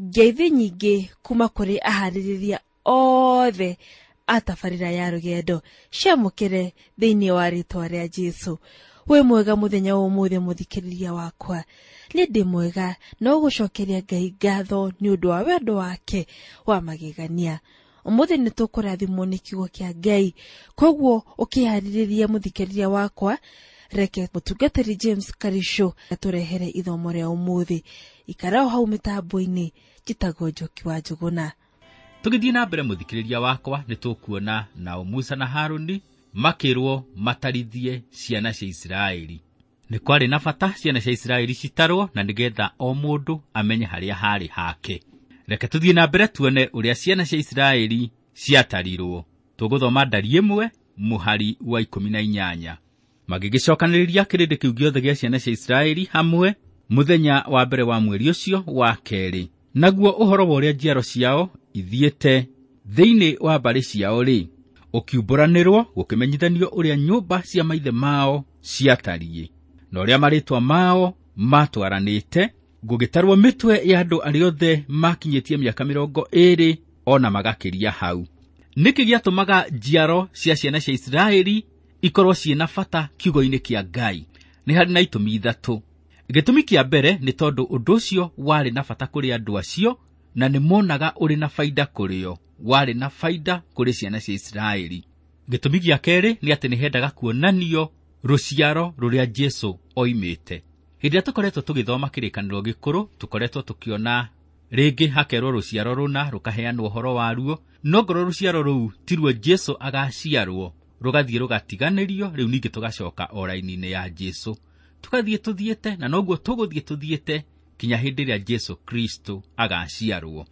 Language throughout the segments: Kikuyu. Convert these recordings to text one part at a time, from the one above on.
Ngeithi nyingĩ kuma kũrĩ aharĩrĩria othe a tabarĩra ya rũgendo ciamũkĩre thĩinĩ wa rĩtwa rĩa Jesũ. Wĩ mwega mũthenya wa ũmũthĩ mũthikĩrĩria wakwa. Nĩ ndĩ mwega no gũcokeria Ngai ngatho nĩ ũndũ wa wendo wake wa magegania. Ũmũthĩ nĩ tũkũrathimwo nĩ kiugo kĩa Ngai, koguo ũkĩharĩrĩria mũthikĩrĩria wakwa, reke mũtungatĩri James Karisho atũrehere ithomo rĩa ũmũthĩ. Ikara o hau mĩtambo-inĩ, njĩtagwo Njoki wa Njũgũna. Tũgĩthiĩ na mbere mũthikĩrĩria wakwa, nĩ tũkuona nao Musa na Harũni makĩrwo matarithie ciana cia Isiraeli. Nĩ kwarĩ na bata ciana cia Isiraeli citarwo na nĩgetha o mũndũ amenye harĩa harĩ hake. Reke tũthiĩ na mbere tuone ũrĩa ciana cia Isiraeli ciatarirwo. Tũgũthoma ndari 1 mũhari wa 18. Magĩgĩcokanĩrĩria kĩrĩndĩ kĩu gĩothe gĩa ciana cia Isiraeli hamwe mũthenya wa mbere wa mweri ũcio wa kerĩ. Naguo ũhoro wa ũrĩa njiaro ciao ithiĩte thĩinĩ wa mbarĩ ciao-rĩ, ũkiumbũranĩrwo gũkĩmenyithanio ũrĩa nyũmba cia maithe mao ciatariĩ, na ũrĩa marĩtwa mao matwaranĩte, gũgĩtarwo mĩtwe ya andũ arĩa othe makinyĩtie mĩaka 20 ona magakĩria hau. Nĩkĩ gĩatũmaga njiaro cia ciana cia Isiraeli ikorwo ciĩna bata kiugo-inĩ kĩa Ngai? Nĩ harĩ na itũmi ithatũ. Gĩtũmi kĩa mbere nĩ tondũ ũndũ ũcio warĩ na bata kũrĩ andũ acio na nĩ monaga ũrĩ na baida kũrĩ o, warĩ na baida kũrĩ ciana cia Isiraeli. Gĩtũmi gĩa kerĩ nĩ atĩ nĩ hendaga kuonanio rũciaro rũrĩa Jesũ oimĩte. Hĩndĩ ĩrĩa tũkoretwo tũgĩthoma kĩrĩkanĩro gĩkũrũ, tũkoretwo tũkĩona rĩngĩ hakerwo rũciaro rũna rũkaheanwo ũhoro waruo, no ngorwo rũciaro rũu tiruo Jesũ agaciarwo, rũgathiĩ rũgatiganĩrio, rĩu ningĩ tũgacoka o raini-inĩ ya Jesũ. Tũgathiĩ tũthiĩte na noguo tũgũthiĩ tũthiĩte kinya hĩndĩ ĩrĩa Jesũ Kristo agaciarwo.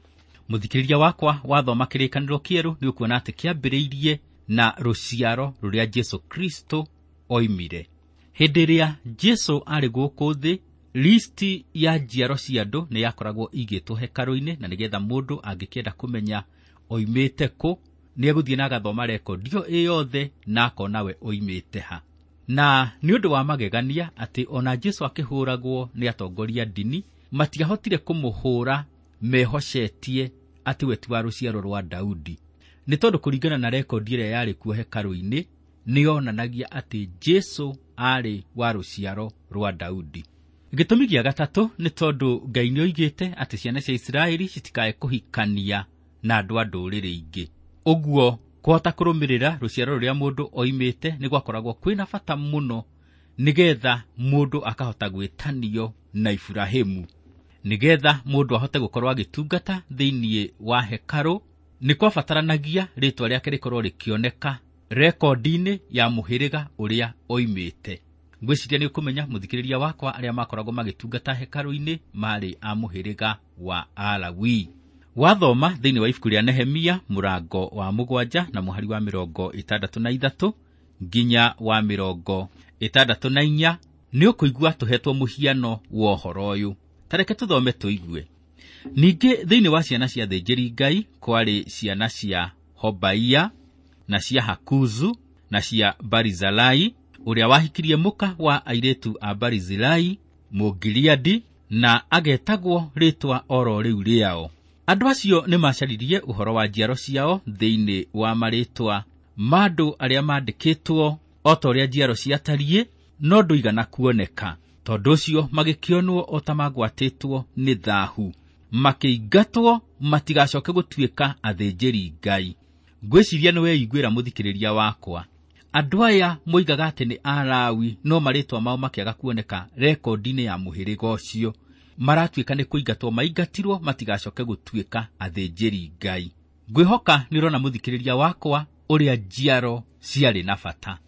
Mũthikĩrĩria wakwa wathoma kĩrĩkanĩro kĩerũ nĩ ũkuona atĩ kĩambĩrĩirie na rũciaro rũrĩa Jesũ Kristo oimire. Hĩndĩ ĩrĩa Jesũ arĩ gũkũ thĩ, listi ya njiaro cia andũ nĩ yakoragwo igĩtwo hekarũ-inĩ, na nĩgetha mũndũ angĩkĩenda kũmenya oimĩte kũ, nĩ egũthiĩ na agathoma rekondi ĩyo yothe na akona we oimĩte ha. Na nĩ ũndũ wa magegania atĩ ona Jesũ akĩhũragwo nĩ atongoria ndini, matiahotire kũmũhũra mehocetie atĩ we ti wa rũciaro rwa Daudi. Nĩ tondũ kũringana na rekondi ĩrĩa yarĩ kuo hekarũ-inĩ, nĩyonanagia atĩ Jesũ arĩ wa rũciaro rwa Daudi. Gĩtũmi gĩa gatatũ nĩ tondũ Ngai nĩoigĩte atĩ ciana cia Isiraeli citikae kũhikania na andũ a ndũrĩrĩ ingĩ. Ũguo kũhota kũrũmĩrĩra rũciaro rũrĩa mũndũ oimĩte nĩ gwakoragwo kwĩna bata mũno nĩgetha mũndũ akahota gwĩtanio na Iburahĩmu. Nĩgetha mũndũ ahote gũkorwo agĩtungata thĩinĩ wa hekarũ, nĩ kwabataranagia rĩtwa rĩake rĩkorwo rĩkĩoneka rekondi-inĩ ya mũhĩrĩga ũrĩa oimĩte. Ngwĩciria nĩ ũkũmenya mũthikĩrĩria wakwa arĩa makoragwo magĩtungata hekarũ-inĩ marĩ a mũhĩrĩga wa Alawi. Wathoma thĩinĩ wa ibuku rĩa Nehemia mũrango wa 7 na mũhari wa 63 nginya wa 64 nĩ ũkũigua tũhetwo mũhiano wa ũhoro ũyũ. Ta reke tũthome tũigue. Ningĩ thĩinĩ wa ciana cia athĩnjĩri Ngai kwarĩ ciana cia Hobaia na cia Hakuzu na cia Barizilai, ũrĩa wahikirie mũka wa airĩtu a Barizilai Mũgiliadi, na agetagwo rĩtwa oro rĩu rĩao. Andũ acio nĩ macaririe ũhoro wa njiaro ciao thĩinĩ wa marĩtwa ma andũ arĩa mandĩkĩtwo o ta ũrĩa njiaro ciatariĩ, no ndũigana kuoneka. Tondũ ũcio magĩkĩonwo o ta magwatĩtwo nĩ thahu, makĩingatwo matigacoke gũtuĩka athĩnjĩri Ngai. Ngwĩciria nĩ weiguĩra mũthikĩrĩria wakwa. Andũ aya moigaga atĩ nĩ Alawi, no marĩtwa mao makĩaga kuoneka rekondi-inĩ ya mũhĩrĩga ũcio. Maratuĩka nĩ kũingatwo maingatirwo matigacoke gũtuĩka athĩnjĩri Ngai. Ngwĩhoka nĩ ũrona mũthikĩrĩria wakwa ũrĩa njiaro ciarĩ na bata.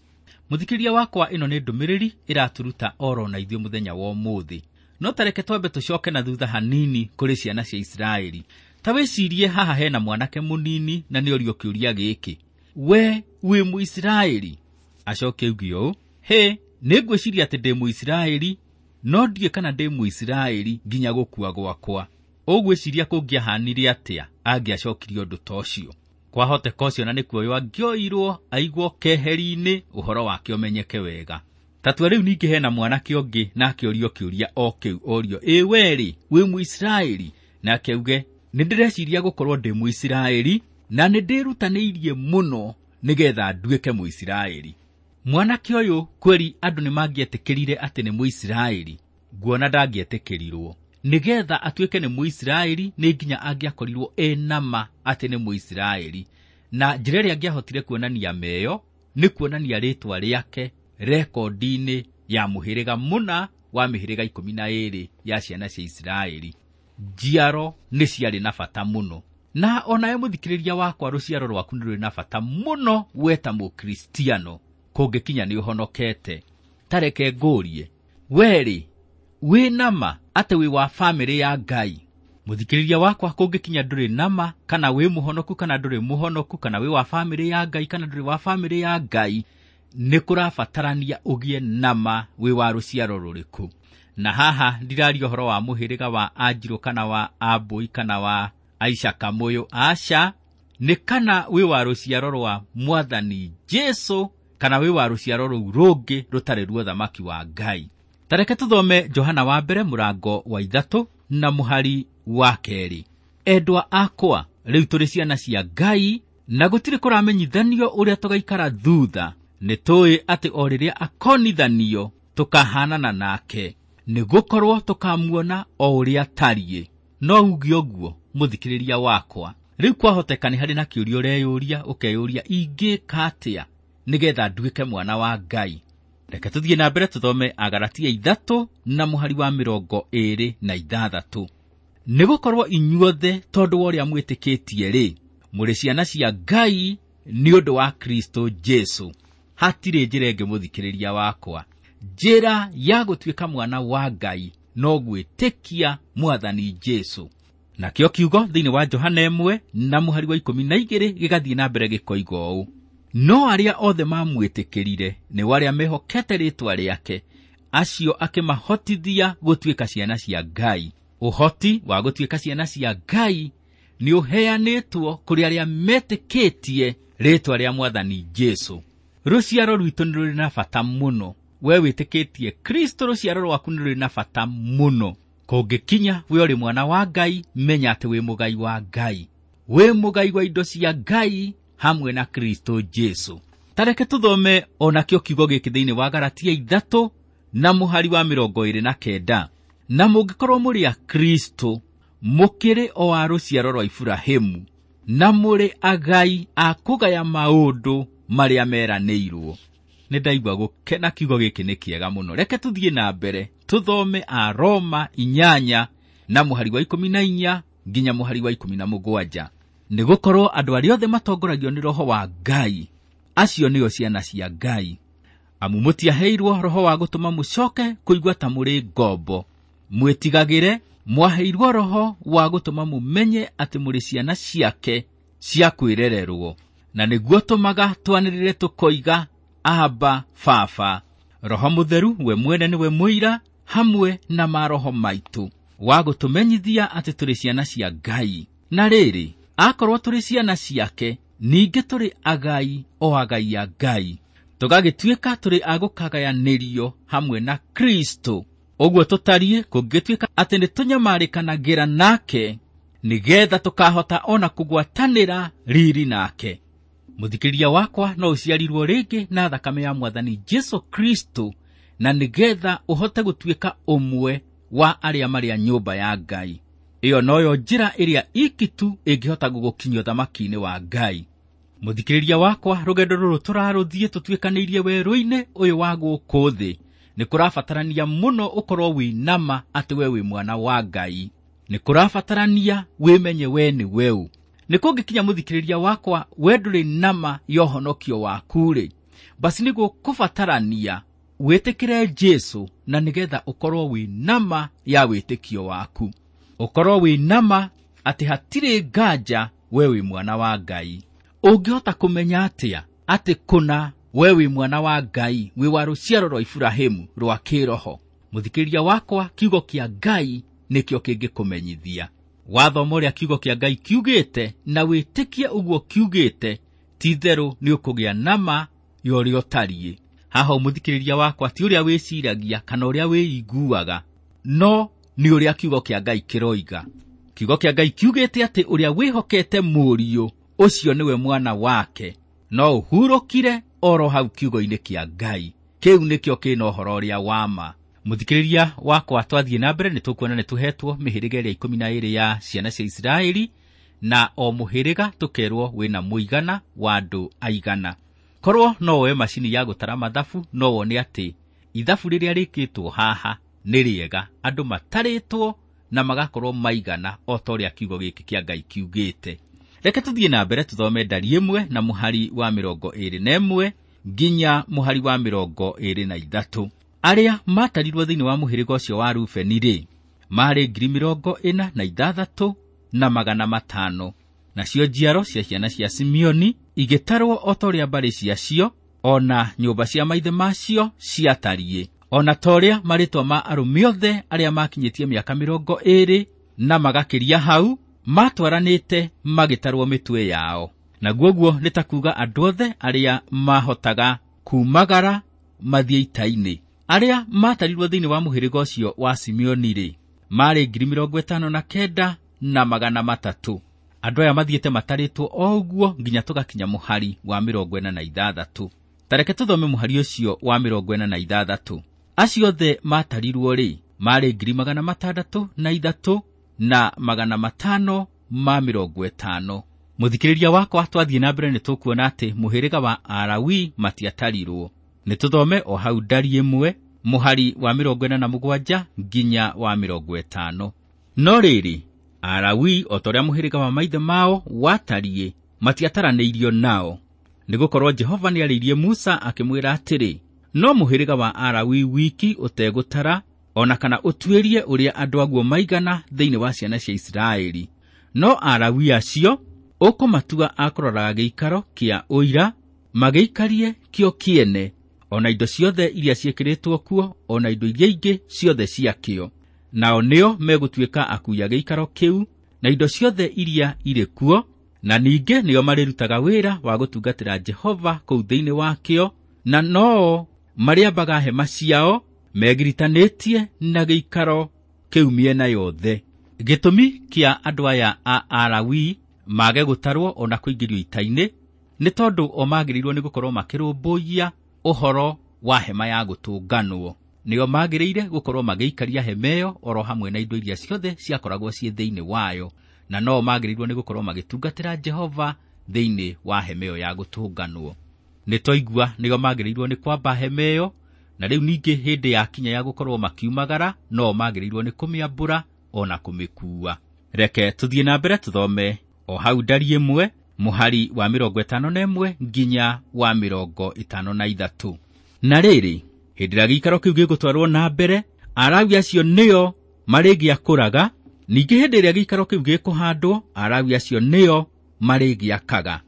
Mũthikĩrĩria wakwa, ĩno nĩ ndũmĩrĩri ĩraturuta oro na ithuĩ mũthenya wa ũmũthĩ. No ta reke twambe tũcoke na thutha hanini kũrĩ ciana cia Isiraeli. Ta wĩcirie haha hena mwanake mũnini na nĩ orio kĩũria gĩkĩ: we wĩ Mũisiraeli? Acoke auge ũũ: hĩ, nĩ ngwĩciria atĩ ndĩ Mũisiraeli, no ndiũĩ kana ndĩ Mũisiraeli nginya gũkua gwakwa. Ũgwĩciria kũngĩahanire atĩa angĩacokirie ũndũ ta ũcio? Kwahoteka ũcio na nĩkuoywo angĩoirwo aigwo keheri-inĩ ũhoro wake ũmenyeke wega. Ta tua rĩu ningĩ hena mwanake ũngĩ na akĩũrio kĩũria o kĩu, orio: ĩ we-rĩ, wĩ Mũisiraeli? Nake auge nĩ ndĩreciria gũkorwo ndĩ Mũisiraeli na nĩ ndĩrutanĩirie mũno nĩgetha nduĩke Mũisiraeli. Mwanake ũyũ kweri andũ nĩ mangĩetĩkĩrire atĩ nĩ Mũisiraeli, nguona ndangĩetĩkĩrirwo. Nĩgetha atuĩke nĩ Mũisiraeli nĩ nginya angĩakorirwo ena ma atĩ nĩ Mũisiraeli, na njĩra ĩrĩa angĩahotire kuonania meyo nĩ kuonania rĩtwa rĩake rekondi-inĩ ya mũhĩrĩga mũna wa mĩhĩrĩga 12 ya ciana cia Isiraeli. Njiaro nĩ ciarĩ na bata mũno, na onawe mũthikĩrĩria wakwa, rũciaro rwaku nĩ rũrĩ na bata mũno we ta Mũkristiano kũngĩkinya nĩ ũhonokete. Tareke ngũrie, werĩ wĩ nama atĩ wĩ wa bamĩrĩ ya Ngai? Mũthikĩrĩria wakwa, kũngĩkinya ndũrĩ nama kana wĩ mũhonoku kana ndũrĩ mũhonoku, kana wĩ wa bamĩrĩ ya Ngai kana ndũrĩ wa bamĩrĩ ya Ngai, nĩ kũrabatarania ũgĩe nama wĩ wa rũciaro rũrĩkũ. Na haha ndiraria ũhoro wa mũhĩrĩga wa Anjirũ kana wa Ambũi kana wa Aisha Kamũyũ, aca, nĩ kana wĩ wa rũciaro rwa Mwathani Jesu kana wĩ wa rũciaro rũu rũngĩ rũtarĩ ruo thamaki wa Ngai. Tareke tũthome Johana wa mbere mũrango wa 3 na mũhari wa 2. Endwa akwa, rĩu tũrĩ ciana cia Ngai, na gũtirĩ kũramenyithanio ũrĩa tũgaikara thutha. Nĩ tũĩ atĩ o rĩrĩa akonithanio tũkahanana nake, nĩ gũkorwo tũkamuona o ũrĩa atariĩ. No uge ũguo mũthikĩrĩria wakwa, rĩu kwahoteka nĩ harĩ na kĩũria ũreyũria, ũkeyũria ingĩka atĩa nĩgetha nduĩke mwana wa Ngai. Reke tũthiĩ na mbere tũthome Agalatia 3 na mũhari wa 26. Nĩgũkorwo inyuothe tondũ wa ũrĩa mwĩtĩkĩtie rĩ, mũrĩ ciana cia Ngai nĩ ũndũ wa Kristo Jesu. Hatirĩ njĩra ĩngĩ mũthikĩrĩria wakwa. Njĩra ya gũtuĩka mwana wa Ngai no gwĩtĩkia Mwathani Jesu. Nakĩo kiugo thĩinĩ wa Johana 1 na mũhari wa 12 gĩgathiĩ na mbere gĩkoiga ũũ: no arĩa othe mamwĩtĩkĩrire nĩ arĩa mehokete rĩĩtwa rĩake, acio akĩmahotithia gũtuĩka ciana cia Ngai. Ũhoti wa gũtuĩka ciana cia Ngai nĩ ũheanĩtwo kũrĩ arĩa metĩkĩtie rĩĩtwa rĩa Mwathani Jesu. Rũciaro rwitũ nĩ rũrĩ na bata mũno. We wĩtĩkĩtie Kristo, rũciaro rwaku nĩ rũrĩ na bata mũno. Kũngĩkinya we ũrĩ mwana wa Ngai, menya atĩ wĩ mũgai wa Ngai, wĩ mũgai wa indo cia Ngai hamwe na Kristo Jesu. Tareke tũthome onakĩo kiugo gĩkĩ thĩinĩ wa Galatia 3 na mũhari wa 29. Na mũngĩkorwo mũrĩ a Kristo, mũkĩrĩ o a rũciaro rwa Iburahĩmu, na mũrĩ agai a kũgaya maũndũ marĩa meranĩirwo. Nĩ ndaigua gũkena, kiugo gĩkĩ nĩ kĩega mũno. Reke tũthiĩ na mbere tũthome a Roma 8 na mũhari wa 14 nginya mũhari wa 17. Nĩgũkorwo andũ arĩa othe matongoragio nĩ Roho wa Ngai, acio nĩo ciana cia Ngai. Amu mũtiaheirwo roho wa gũtũma mũcoke kũigua ta mũrĩ ngombo, mwĩtigagĩre, mwaheirwo roho wa gũtũma mũmenye atĩ mũrĩ ciana ciake cia kwĩrererwo, na nĩguo tũmaga twanĩrĩre tũkoiga, Aba, Baba. Roho Mũtheru we mwene nĩwe mũira hamwe na maroho maitũ wa gũtũmenyithia atĩ tũrĩ ciana cia Ngai. Na rĩrĩ, akorwo tũrĩ ciana ciake, ningĩ tũrĩ agai o agai a Ngai, tũgagĩtuĩka tũrĩ a gũkagayanĩrio hamwe na Kristo. Ũguo tũtariĩ kũngĩtuĩka atĩ nĩ tũnyamarĩkanagĩra nake, nĩgetha tũkahota ona kũgwatanĩra riri nake. Mũthikĩrĩria wakwa, no ũciarirwo rĩngĩ na thakame ya Mwathani Jesu Kristo, na nĩgetha ũhote gũtuĩka ũmwe wa arĩa marĩ a nyũmba ya Ngai. Ĩyo noyo njĩra ĩrĩa iki tu ĩngĩhota gũgũkinyia ũthamaki-inĩ wa Ngai. Mũthikĩrĩria wakwa, rũgendo rũrũ tũrarũthiĩ tũtuĩkanĩirie werũ-inĩ ũyũ wa gũkũ thĩ, nĩ kũrabatarania mũno ũkorwo wĩ nama atĩ we wĩ mwana wa Ngai. Nĩ kũrabatarania wĩmenye we nĩ weũ. Nĩ kũngĩkinya mũthikĩrĩria wakwa, we ndũrĩ nama ya ũhonokio waku-rĩ, basi nĩ gũkũbatarania wĩtĩkĩre Jesu, na nĩgetha ũkorwo wĩ nama ya wĩtĩkio waku, ũkorwo wĩ nama atĩ hatirĩ nganja we wĩ mwana wa Ngai. Ũngĩhota kũmenya atĩa atĩ kũna we wĩ mwana wa Ngai, wĩ wa rũciaro rwa Iburahĩmu rwa kĩroho? Mũthikĩrĩria wakwa, kiugo kĩa Ngai nĩkĩo kĩngĩkũmenyithia. Wathoma ũrĩa kiugo kĩa Ngai kiugĩte na wĩtĩkie ũguo kiugĩte, ti-itherũ nĩ ũkũgĩa nama ya ũrĩa ũtariĩ. Haha mũthikĩrĩria wakwa, ti ũrĩa wĩciragia kana ũrĩa wĩiguaga, no nĩ ũrĩa kiugo kĩa Ngai kĩroiga. Kiugo kĩa Ngai kiugĩte atĩ ũrĩa wĩhokete mũriũ ũcio nĩwe mwana wake, no ũhurũkire oro hau kiugo-inĩ kĩa Ngai. Kĩu nĩkĩo kĩna ũhoro ũrĩa wa ma. Mũthikĩrĩria wakwa, twathiĩ na mbere nĩ tũkuona nĩ tũhetwo mĩhĩrĩga ĩrĩa 12 ya ciana cia Isiraeli, na o mũhĩrĩga tũkerwo wĩna mũigana wa andũ aigana. Korwo no woe macini ya gũtara mathabu, no wone atĩ ithabu rĩrĩa rĩkĩtwo haha nĩ rĩega, andũ matarĩtwo na magakorwo maigana o ta ũrĩa kiugo gĩkĩ kĩa Ngai kiugĩte. Reke tũthiĩ na mbere tũthome ndari 1 na mũhari wa 21 nginya mũhari wa 23. Arĩa matarirwo thĩinĩ wa mũhĩrĩga ũcio wa Rubeni rĩ, maarĩ 46,500. Nacio njiaro cia ciana cia Simeoni igĩtarwo o ta ũrĩa mbarĩ ciacio o na nyũmba cia maithe macio ciatariĩ, o na ta ũrĩa marĩtwa ma arũme othe arĩa makinyĩtie mĩaka 20 na magakĩria hau matwaranĩte magĩtarwo mĩtwe yao. Naguo ũguo nĩ ta kuuga andũ othe arĩa mahotaga kumagara mathiĩ ita-inĩ. Arĩa matarirwo thĩinĩ wa mũhĩrĩga ũcio wa Simeoni rĩ, maarĩ 59,300. Andũ aya mathiĩte matarĩtwo o ũguo nginya tũgakinya mũhari wa 46. Tareke tũthome mũhari ũcio wa 46. Acio othe matarirwo rĩ, maarĩ 603,550. Mũthikĩrĩria wakwa, twathiĩ na mbere nĩ tũkuona atĩ mũhĩrĩga wa Alawi matiatarirwo. Nĩ tũthome o hau ndari 1 mũhari wa 47 nginya wa 50. No rĩrĩ, Alawi o ta ũrĩa mũhĩrĩga wa maithe mao watariĩ matiataranĩirio nao, nĩgũkorwo Jehova nĩarĩirie Musa akĩmwĩra atĩrĩ, no mũhĩrĩga wa Alawi wiki ũtegũtara o na kana ũtuĩrie ũrĩa andũ aguo maigana thĩinĩ wa ciana cia Isiraeli. No Alawi acio ũkũmatua a kũroraga gĩikaro kĩa ũira, magĩikarie kĩo kĩene, o na indo ciothe iria ciĩkĩrĩtwo kuo, o na indo iria ingĩ ciothe ciakĩo. Nao nĩo megũtuĩka akuui a gĩikaro kĩu na indo ciothe iria irĩ kuo, na ningĩ nĩo marĩrutaga wĩra wa gũtungatĩra Jehova kũu thĩinĩ wakĩo, na noo marĩambaga hema ciao megiritanĩtie na gĩikaro kĩu mĩena yothe. Gĩtũmi kĩa andũ aya a Alawi mage gũtarwo ona kũingĩrio ita-inĩ nĩ tondũ o magĩrĩirwo nĩ gũkorwo makĩrũmbũiya ũhoro wa hema ya gũtũnganwo. Nĩo magĩrĩire gũkorwo magĩikaria hema ĩyo oro hamwe na indo iria ciothe ciakoragwo ciĩ thĩinĩ wayo, na no magĩrĩirwo nĩ gũkorwo magĩtungatĩra Jehova thĩinĩ wa hema ĩyo ya gũtũnganwo. Nĩ twaigua nĩo magĩrĩirwo nĩ kwamba hema ĩyo, na rĩu ningĩ hĩndĩ ya kinya ya gũkorwo makiumagara no magĩrĩirwo nĩ kũmĩambũra ona kũmĩkuua. Reke tũthiĩ na mbere tũthome o hau ndari 1 mũhari wa 51 nginya wa 53. Na rĩrĩ, hĩndĩ ĩrĩa gĩikaro kĩu gĩgũtwarwo na mbere, Alawi acio nĩo marĩgĩakũraga, ningĩ hĩndĩ ĩrĩa gĩikaro kĩu gĩkũhandwo, Alawi acio nĩo marĩgĩakaga.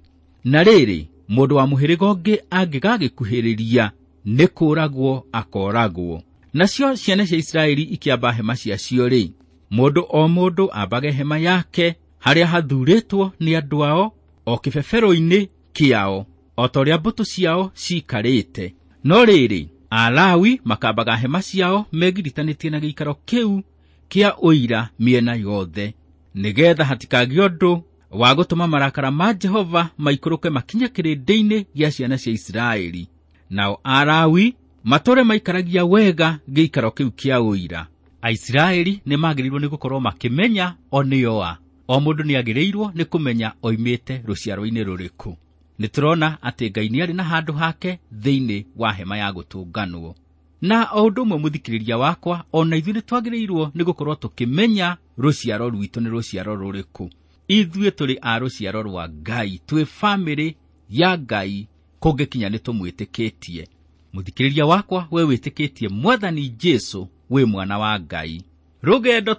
Na rĩrĩ, mũndũ wa mũhĩrĩga ũngĩ angĩgagĩkuhĩrĩria nĩ kũũragwo akooragwo. Nacio ciana cia Isiraeli ikĩamba hema ciacio rĩ, mũndũ o mũndũ ambage hema yake harĩa hathurĩtwo nĩ andũ ao, o kĩbebero-inĩ kĩao, o ta ũrĩa mbũtũ ciao ciikarĩte. No rĩrĩ, Alawi makambaga hema ciao megiritanĩtie na gĩikaro kĩu kĩa ũira mĩena yothe, nĩgetha hatikagĩe ũndũ wa gũtũma marakara ma Jehova maikũrũke makinye kĩrĩndĩ-inĩ gĩa ciana cia Isiraeli. Nao Alawi matũre maikaragia wega gĩikaro kĩu kĩa ũira. Aisiraeli nĩ magĩrĩirwo nĩ gũkorwo makĩmenya o nĩo a. O mũndũ nĩagĩrĩirwo nĩ kũmenya oimĩte rũciaro-inĩ rũrĩkũ. Nĩ tũrona atĩ Ngai nĩarĩ na handũ hake thĩinĩ wa hema ya gũtũnganwo. Na o ũndũ ũmwe mũthikĩrĩria wakwa, o na ithuĩ nĩ twagĩrĩirwo nĩ gũkorwo tũkĩmenya rũciaro rwitũ nĩ rũciaro rũrĩkũ. Ithuĩ tũrĩ a rũciaro rwa Ngai, twĩ bamĩrĩ ya Ngai, kũngĩkinya nĩ tũmwĩtĩkĩtie. Mũthikĩrĩria wakwa, we wĩtĩkĩtie Mwathani Jesũ, wĩ mwana wa Ngai. Rũgendo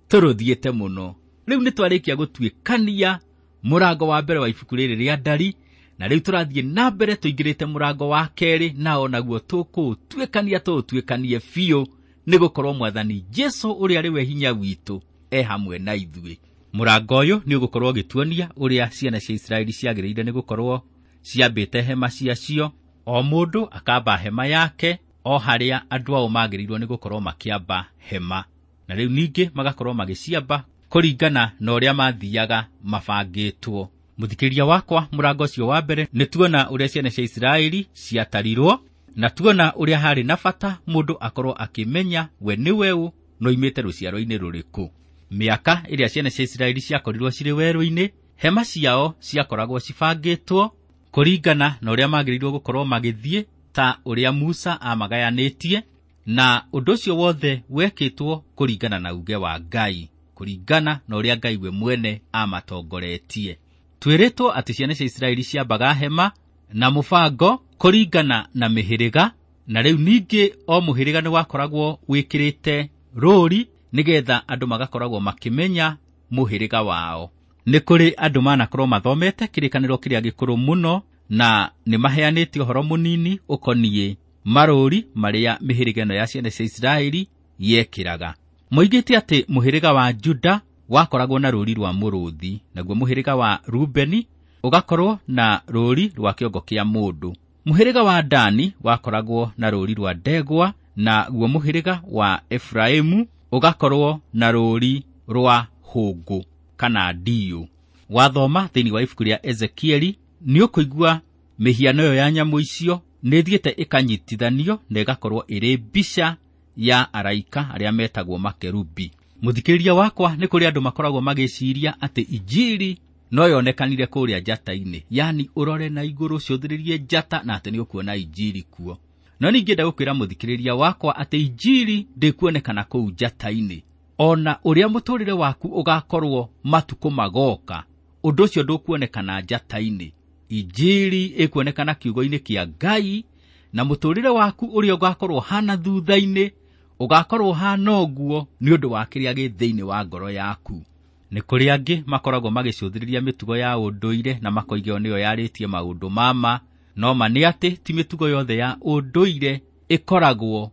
tũrũthiĩte mũno. Rĩu nĩ twarĩkia gũtuĩkania mũrango wa mbere wa ibuku rĩrĩ rĩa ndari, na rĩu tũrathiĩ na mbere tũingĩrĩte mũrango wa kerĩ, na onaguo tũkũũtuĩkania tũũtuĩkanie biũ, nĩ gũkorwo Mwathani Jesũ ũrĩa arĩ we hinya witũ e hamwe na ithuĩ. Mũrango ũyũ nĩ ũgũkorwo ũgĩtuonia ũrĩa ciana cia Isiraeli ciagĩrĩire nĩ gũkorwo ciambĩte hema ciacio, o mũndũ akamba hema yake o harĩa andũ ao magĩrĩirwo nĩ gũkorwo makĩamba hema, na rĩu ningĩ magakorwo magĩciamba kũringana na ũrĩa mathiaga mabangĩtwo. Mũthikĩrĩria wakwa, mũrango ũcio wa mbere nĩ tuona ũrĩa ciana cia Isiraeli ciatarirwo, na tuona ũrĩa harĩ na bata mũndũ akorwo akĩmenya we nĩwe ũ na oimĩte rũciaro-inĩ rũrĩkũ. Mĩaka ĩrĩa ciana cia Isiraeli ciakorirwo cirĩ werũ-inĩ, hema ciao ciakoragwo cibangĩtwo kũringana na ũrĩa magĩrĩirwo gũkorwo magĩthiĩ ta ũrĩa Musa amagayanĩtie, na ũndũ ũcio wothe wekĩtwo kũringana na uge wa Ngai, kũringana na ũrĩa Ngai we mwene amatongoretie. Twĩrĩtwo atĩ ciana cia Isiraeli ciambaga hema na mũbango kũringana na mĩhĩrĩga, na rĩu ningĩ o mũhĩrĩga nĩ wakoragwo wĩkĩrĩte rũũri nĩgetha andũ magakoragwo makĩmenya mũhĩrĩga wao. Nĩ kũrĩ andũ manakorwo mathomete kĩrĩkanĩro kĩrĩa gĩkũrũ mũno na nĩ maheanĩte ũhoro mũnini ũkoniĩ marũũri marĩa mĩhĩrĩga ĩno ya ciana cia Isiraeli yekĩraga. Moigĩte atĩ mũhĩrĩga wa Juda wakoragwo na rũũri rwa mũrũthi, naguo mũhĩrĩga wa Rubeni ũgakorwo na rũũri rwa kĩongo kĩa mũndũ. Mũhĩrĩga wa Dani wakoragwo na rũũri rwa ndegwa, naguo mũhĩrĩga wa Efraimu ũgakorwo na rũũri rwa hũngũ kana ndiũ. Wathoma thĩinĩ wa ibuku rĩa Ezekieli nĩ ũkũigua mĩhiano ĩyo ya nyamũ icio nĩ ĩthiĩte ĩkanyitithanio na ĩgakorwo ĩrĩ mbica ya araika arĩa metagwo makerubi. Mũthikĩrĩria wakwa, nĩ kũrĩ andũ makoragwo magĩciria atĩ injiri no yonekanire kũrĩa njata-inĩ, yani ũrore na igũrũ cũthĩrĩrie njata na atĩ nĩ ũkuona injiri kuo. No ningĩ ndagũkwĩra mũthikĩrĩria wakwa atĩ injiri ndĩkuonekana kũu njata-inĩ. Ona ũrĩa mũtũrĩre waku ũgakorwo matukũ magoka, ũndũ ũcio ndũkuonekana njata-inĩ. Injiri ĩkuonekana kiugo-inĩ kĩa Ngai, na mũtũrĩre waku ũrĩa ũgakorwo hana thutha-inĩ ũgakorwo hana ũguo nĩ ũndũ wa kĩrĩa gĩ thĩinĩ wa ngoro yaku. Nĩ kũrĩ angĩ makoragwo magĩcũthĩrĩria mĩtugo ya ũndũire na makoiga ĩyo nĩyo yarĩtie maũndũ mama, no ma nĩ atĩ ti mĩtugo yothe ya ũndũire ĩkoragwo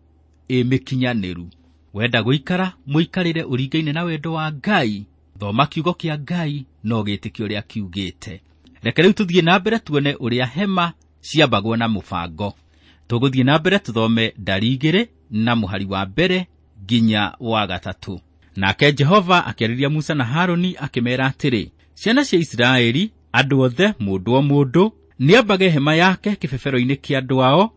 ĩ mĩkinyanĩru. Wenda gũikara mũikarĩre ũringaine na wendo wa Ngai, thoma kiugo kĩa Ngai na ũgĩtĩkie ũrĩa kiugĩte. Reke rĩu tũthiĩ na mbere tuone ũrĩa hema ciambagwo na mũbango. Tũgũthiĩ na mbere tũthome ndari 2 na mũhari wa 1 nginya wa 3. Nake Jehova akĩarĩria Musa na Harũni akĩmeera atĩrĩ, ciana cia Isiraeli, andũ othe mũndũ o mũndũ nĩambage hema yake kĩbebero-inĩ kĩa andũ ao,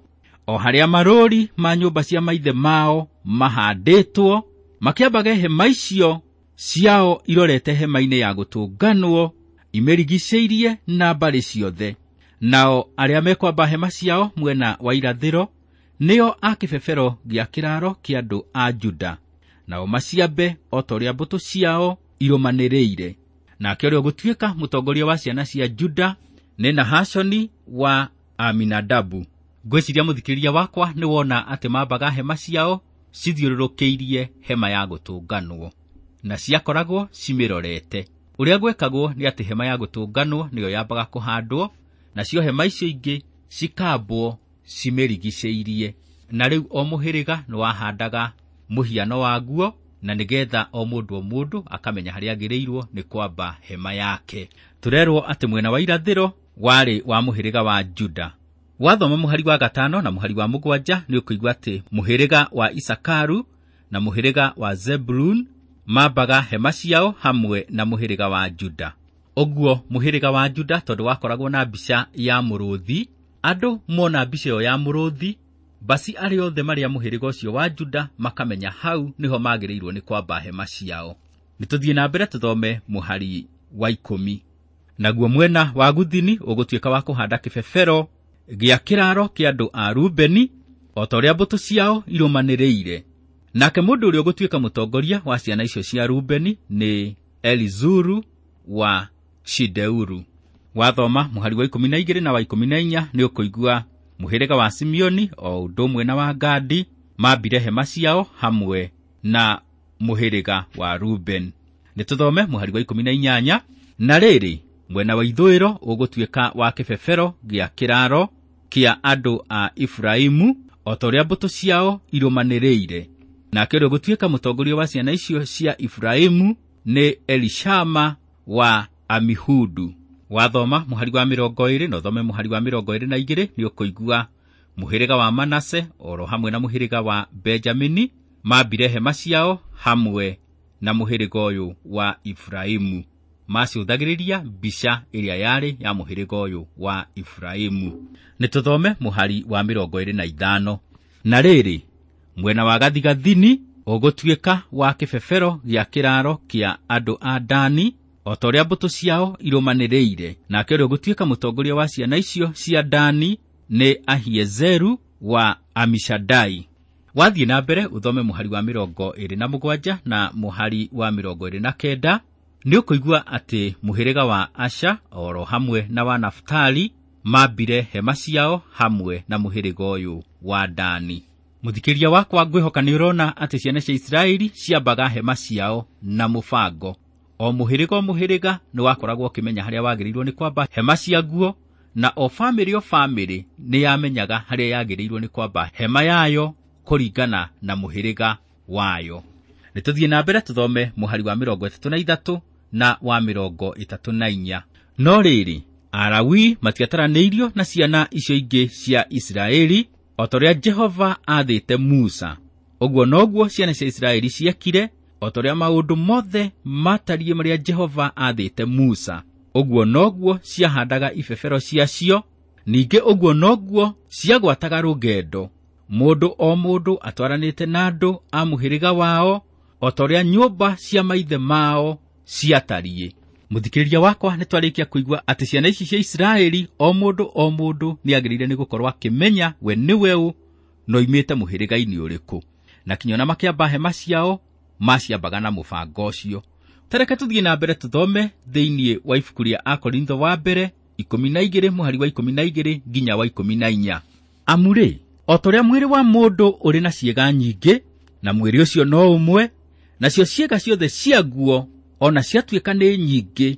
o harĩa marũũri ma nyũmba cia maithe mao mahandĩtwo, makĩambage hema icio ciao irorete hema-inĩ ya gũtũnganwo, imĩrigicĩirie na mbarĩ ciothe. Nao arĩa mekwamba hema ciao mwena wa irathĩro nĩo a kĩbebero gĩa kĩraro kĩa andũ a Juda, nao maciambe o ta ũrĩa mbũtũ ciao irũmanĩrĩire. Nake ũrĩa ũgũtuĩka mũtongoria wa ciana cia Juda nĩ Nahashoni wa Aminadabu. Ngwĩciria mũthikĩrĩria wakwa nĩ wona atĩ mambaga hema ciao cithiũrũrũkĩirie hema ya gũtũnganwo, na ciakoragwo cimĩrorete. Ũrĩa gwekagwo nĩ atĩ hema ya gũtũnganwo nĩyo yambaga kũhandwo, nacio hema icio ingĩ cikambwo cimĩrigicĩirie. Na rĩu o mũhĩrĩga nĩ wahandaga mũhiano waguo, na nĩgetha o mũndũ o mũndũ akamenya harĩa agĩrĩirwo nĩ kwamba hema yake. Tũrerwo atĩ mwena wa irathĩro warĩ wa mũhĩrĩga wa Juda. Wathoma mũhari wa 5 na mũhari wa 7 nĩ ũkũigua atĩ mũhĩrĩga wa Isakaru na mũhĩrĩga wa Zebulun mambaga hema ciao hamwe na mũhĩrĩga wa Juda. Ũguo mũhĩrĩga wa Juda tondũ wakoragwo na mbica ya mũrũthi, andũ mona mbica ĩyo ya mũrũthi, basi arĩa othe marĩa mũhĩrĩga ũcio wa Juda makamenya hau nĩho magĩrĩirwo nĩ kwamba hema ciao. Nĩ tũthiĩ na mbere tũthome mũhari wa 10. Naguo mwena wa guthini ũgũtuĩka wa kũhanda kĩbebero gĩa kĩraro kĩa andũ a Rubeni, o ta ũrĩa mbũtũ ciao irũmanĩrĩire. Nake mũndũ ũrĩa ũgũtuĩka mũtongoria wa ciana icio cia Rubeni nĩ Elizuru wa Shideuru. Wathoma mũhari wa 12 na wa 14 nĩ ũkũigua mũhĩrĩga wa Simeoni o ũndũ ũmwe na wa Gadi mambire hema ciao hamwe na mũhĩrĩga wa Ruben. Nĩ tũthome mũhari wa 18. Na rĩrĩ, mwena wa ithũĩro ũgũtuĩka wa kĩbebero gĩa kĩraro kĩa andũ a Efraimu, o ta ũrĩa mbũtũ ciao irũmanĩrĩire. Nake ũrĩa ũgũtuĩka mũtongoria wa ciana icio cia Efraimu nĩ Elishama wa Amihudu. Wathoma mũhari wa 20 na ũthome mũhari wa 22 nĩ ũkũigua mũhĩrĩga wa Manase oro hamwe na mũhĩrĩga wa Benjamini mambire hema ciao hamwe na mũhĩrĩga ũyũ wa Efraimu. Macũthagĩrĩria mbica ĩrĩa yarĩ ya mũhĩrĩga ũyũ wa Efraimu. Nĩ tũthome mũhari wa 25. Na rĩrĩ, mwena wa gathigathini ũgũtuĩka wa kĩbebero gĩa kĩraaro kĩa andũ a Dani, o ta ũrĩa mbũtũ ciao irũmanĩrĩire. Nake ũrĩa ũgũtuĩka mũtongoria wa ciana icio cia Dani nĩ Ahiezeru wa Amishadai. Wathiĩ na mbere ũthome mũhari wa 27 na mũhari wa 29, nĩ ũkũigua atĩ mũhĩrĩga wa Asha oro hamwe na wa Naftali mambire hema ciao hamwe na mũhĩrĩga ũyũ wa Dani. Mũthikĩria wakwa, ngwĩhoka nĩ ũrona atĩ ciana cia Isiraeli ciambaga hema ciao na mũbango. O mũhĩrĩga o mũhĩrĩga nĩ wakoragwo ũkĩmenya harĩa wagĩrĩirwo nĩ kwamba hema ciaguo, na o bamĩrĩ o bamĩrĩ nĩ yamenyaga harĩa yagĩrĩirwo nĩ kwamba hema yayo kũringana na mũhĩrĩga wayo. Nĩ tũthiĩ na mbere tũthome mũhari wa 33 na wa 34. No rĩrĩ, Alawii matiataranĩirio na ciana icio ingĩ cia Isiraeli, o ta ũrĩa Jehova aathĩte Musa. Ũguo noguo ciana cia Isiraeli ciekire, o ta ũrĩa maũndũ mothe matariĩ marĩa Jehova aathĩte Musa. Ũguo noguo ciahandaga ibebero ciacio, ningĩ ũguo noguo ciagwataga rũgendo, mũndũ o mũndũ atwaranĩte na andũ a mũhĩrĩga wao, o ta ũrĩa nyũmba cia maithe mao ciatariĩ. Mũthikĩrĩria wakwa, nĩ twarĩkia kũigua atĩ ciana ici cia Isiraeli o mũndũ o mũndũ nĩ agĩrĩire nĩ gũkorwo akĩmenya we nĩwe ũ na oimĩte mũhĩrĩga-inĩ ũrĩkũ, na kinya ona makĩamba hema ciao maciambaga na mũbango ũcio. Tareke tũthiĩ na mbere tũthome thĩinĩ wa ibuku rĩa Akorintho wa mbere 12 mũhari wa 12 nginya wa 14. Amu rĩ, o ta ũrĩa mwĩrĩ wa mũndũ ũrĩ na ciĩga nyingĩ, na mwĩrĩ ũcio no ũmwe, nacio ciĩga ciothe ciaguo ona ciatuĩka nĩ nyingĩ,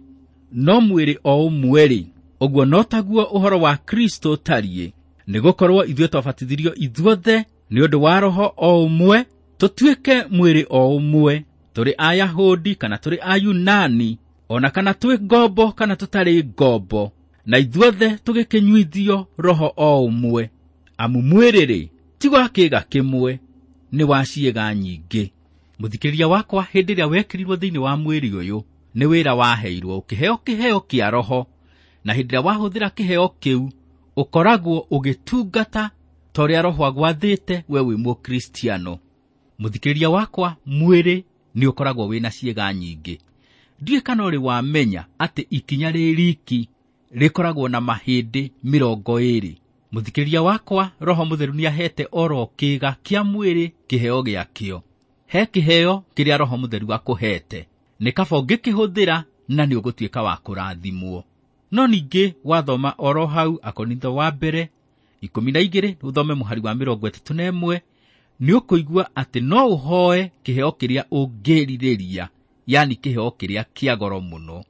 no mwĩrĩ o ũmwe-rĩ, ũguo no taguo ũhoro wa Kristo ũtariĩ. Nĩgũkorwo ithuĩ twabatithirio ithuothe nĩ ũndũ wa Roho o ũmwe, tũtuĩke mwĩrĩ o ũmwe, tũrĩ Ayahudi kana tũrĩ Ayunani, ona kana twĩ ngombo kana tũtarĩ ngombo, na ithuothe tũgĩkĩnyuithio Roho o ũmwe. Amu mwĩrĩ-rĩ, ti wa kĩĩga kĩmwe, nĩ wa ciĩga nyingĩ. Mũthikĩrĩria wakwa, hĩndĩ ĩrĩa wekĩrirwo thĩinĩ wa mwĩrĩ ũyũ, nĩ wĩra waheirwo, ũkĩheo kĩheo kĩa Roho, na hĩndĩ ĩrĩa wahũthĩra kĩheo kĩu, ũkoragwo ũgĩtungata ta ũrĩa Roho agwathĩte we wĩ Mũkristiano. Mũthikĩrĩria wakwa, mwĩrĩ nĩ ũkoragwo wĩna ciĩga nyingĩ. Ndiũĩ kana ũrĩ wamenya atĩ ikinya rĩ riki rĩkoragwo na mahĩndĩ 20. Mũthikĩrĩria wakwa, Roho Mũtheru nĩahete oro kĩĩga kĩa mwĩrĩ kĩheo gĩakĩo. He kĩheo kĩrĩa Roho Mũtheru akũhete, nĩ kaba ũngĩkĩhũthĩra na nĩ ũgũtuĩka wa kũrathimwo. No ningĩ wathoma oro hau Akorintho wa mbere 12, ũthome mũhari wa 31, nĩ ũkũigua atĩ no ũhoe kĩheo kĩrĩa ũngĩrirĩria, yani kĩheo kĩrĩa kĩa goro mũno.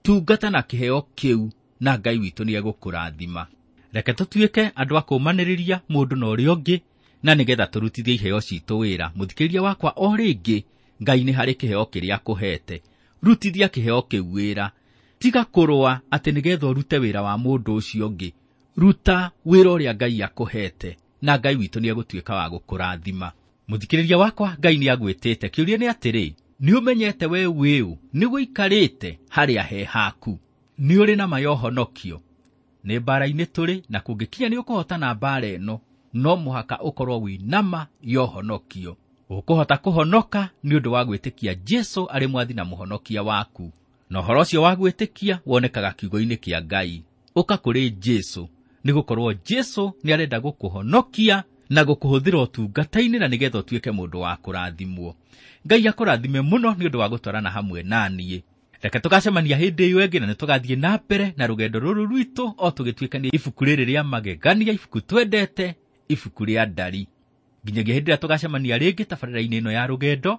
Tungata na kĩheo kĩu na Ngai witũ nĩegũkũrathima. Reke tũtuĩke andũ a kũũmanĩrĩria mũndũ na ũrĩa ũngĩ, na nĩgetha tũrutithie iheo citũ wĩra. Mũthikĩrĩria wakwa, o rĩngĩ, Ngai nĩ harĩ kĩheo kĩrĩa akũhete. Rutithia kĩheo kĩu wĩra. Tiga kũrũa atĩ nĩgetha ũrute wĩra wa mũndũ ũcio ũngĩ. Ruta wĩra ũrĩa Ngai akũhete, na Ngai witũ nĩegũtuĩka wa gũkũrathima. Mũthikĩrĩria wakwa, Ngai nĩagwĩtĩte. Kĩũria nĩ atĩrĩ, nĩũmenyete we wĩũ? Nĩgũikarĩte harĩa he haku? Nĩ ũrĩ na ma ya ũhonokio? Nĩ mbara-inĩ tũrĩ, na kũngĩkinya nĩ ũkũhotana mbara ĩno, no mũhaka ũkorwo wĩ na ma ya ũhonokio. Ũkũhota kũhonoka nĩ ũndũ wa gwĩtĩkia Jesũ arĩ mwathi na mũhonokia waku. Na ũhoro ũcio wa gwĩtĩkia wonekaga kiugo-inĩ kĩa Ngai. Ũka kũrĩ Jesũ, nĩgũkorwo Jesũ nĩarenda gũkũhonokia na gũkũhũthĩra ũtungata-inĩ na nĩgetha ũtuĩke mũndũ wa kũrathimwo. Ngai akũrathime mũno nĩ ũndũ wa gũtwarana hamwe na niĩ. Reke tũgacemania hĩndĩ ĩyo ĩngĩ, na nĩtũgathiĩ na mbere na rũgendo rũrũ rwitũ o tũgĩtuĩkania ibuku rĩrĩ rĩa magegania, ibuku twendete, ibuku rĩa Ndari. Nginyagia hĩndĩ ĩrĩa tũgacemania rĩngĩ tabarĩra-inĩ ĩno ya rũgendo,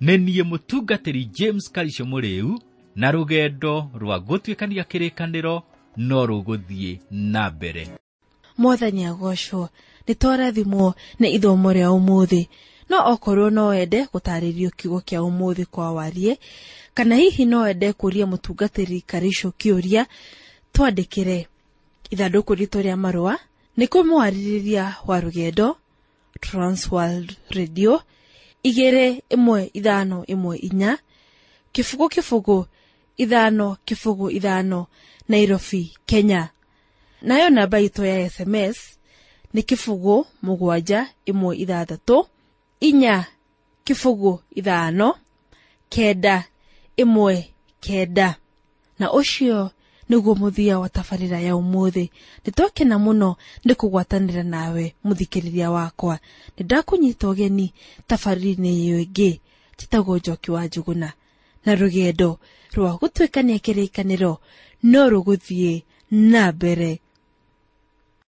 nĩ niĩ mũtungatĩri James Karisho Mũrĩu, na rũgendo rwa gũtuĩkania kĩrĩkanĩro no rũgũthiĩ na mbere. Mwathani agocwo, nĩ twarathimwo nĩ ithomo rĩa ũmũthĩ. No okorwo no wende gũtarĩrio kiugo kĩa ũmũthĩ kwa warie, kana hihi no wende kũria mũtungatĩri Karisho kĩũria, twandĩkĩre. Ithandũkũ ritũ rĩa marũa nĩ kũmwarĩrĩria wa rũgendo, Transworld Radio 21514, 0 0 5 0 5, Nairobi, Kenya. Nayo namba itũ ya SMS nĩ 0 7 1 6 4 0 5 9 1 9. Na ũcio nĩguo mũthia wa tabarĩra ya ũmũthĩ. Nĩtwakena mũno nĩ kũgwatanĩra nawe mũthikĩrĩria wakwa. Nĩndakũnyita ũgeni tabarĩra-inĩ ĩyo ĩngĩ. Njĩtagwo Njoki wa Njũgũna, na rũgendo rwa gũtuĩkania kĩrĩkanĩro no rũgũthiĩ na mbere.